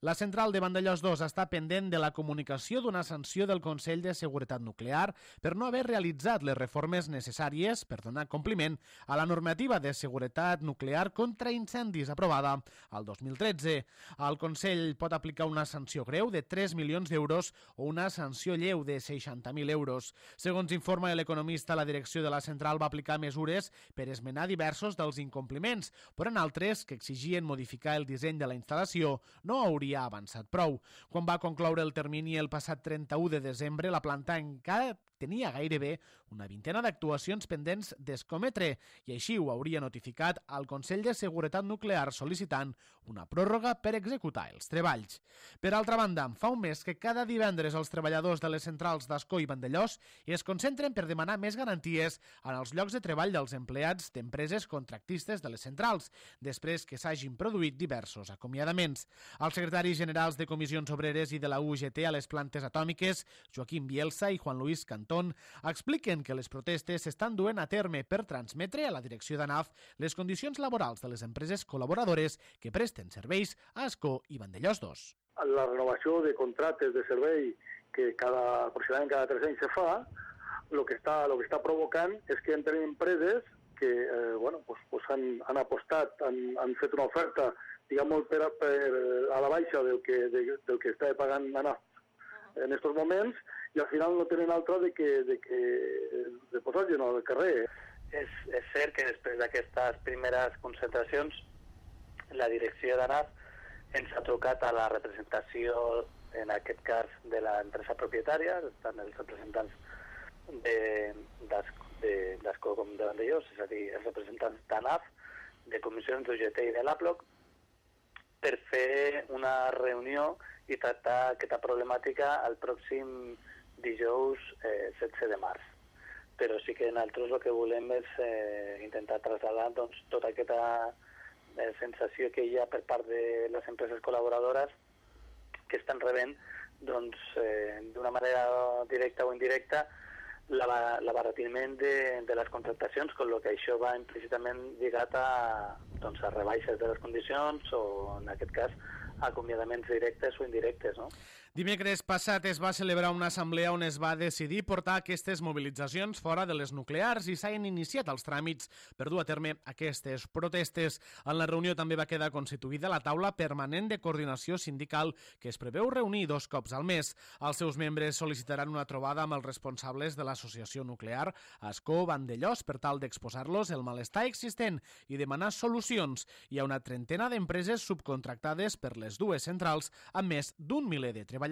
La central de Vandellòs 2 està pendent de la comunicació d'una sanció del Consell de Seguretat Nuclear per no haver realitzat les reformes necessàries per donar compliment a la normativa de seguretat nuclear contra incendis aprovada al 2013. El Consell pot aplicar una sanció greu de 3 milions d'euros o una sanció lleu de 60.000 euros. Segons informa l'economista, la direcció de la central va aplicar mesures per esmenar diversos dels incompliments, però en altres que exigien modificar el disseny de la instal·lació no hauria avançat prou. Quan va concloure el termini el passat 31 de desembre, la planta encara tenia gairebé una vintena d'actuacions pendents d'escometre i així ho hauria notificat al Consell de Seguretat Nuclear sol·licitant una pròrroga per executar els treballs. Per altra banda, fa un mes que cada divendres els treballadors de les centrals d'Ascó i Vandellòs es concentren per demanar més garanties en els llocs de treball dels empleats d'empreses contractistes de les centrals, després que s'hagin produït diversos acomiadaments. Els secretaris generals de Comissions Obreres i de la UGT a les plantes atòmiques, Joaquim Bielsa i Juan Luis Cantón, expliquen que les protestes s'estan duent a terme per transmetre a la direcció d'ANAF les condicions laborals de les empreses col·laboradores que presten serveis a Ascó i Vandellòs 2. La renovació de contractes de servei que aproximadament cada 3 anys se fa, el que està provocant és que entren empreses que han apostat, han fet una oferta diguem per a la baixa del que està pagant ANAF en aquests moments, i al final no tenen altra de posar gent al carrer. És cert que després d'aquestes primeres concentracions la direcció d'ANAF ens ha trucat a la representació, en aquest cas de l'empresa propietària, estan els representants d'Ascó com de Vandellòs, és a dir, els representants d'ANAF, de comissions d'UGT i de l'APLOC, per fer una reunió i tractar aquesta problemàtica el pròxim dijous 16 de març. Però sí que nosaltres el que volem és intentar traslladar tota aquesta sensació que hi ha per part de les empreses col·laboradores que estan rebent d'una manera directa o indirecta l'abaratiment de les contractacions, amb el que això va implícitament lligat a rebaixes de les condicions o, en aquest cas, acomiadaments directes o indirectes, no? Dimecres passat es va celebrar una assemblea on es va decidir portar aquestes mobilitzacions fora de les nuclears i s'han iniciat els tràmits per dur a terme aquestes protestes. En la reunió també va quedar constituïda la taula permanent de coordinació sindical que es preveu reunir 2 cops al mes. Els seus membres sol·licitaran una trobada amb els responsables de l'associació nuclear Ascó Vandellòs per tal d'exposar-los el malestar existent i demanar solucions. Hi ha una trentena d'empreses subcontractades per les dues centrals amb més d'un miler de treballadors.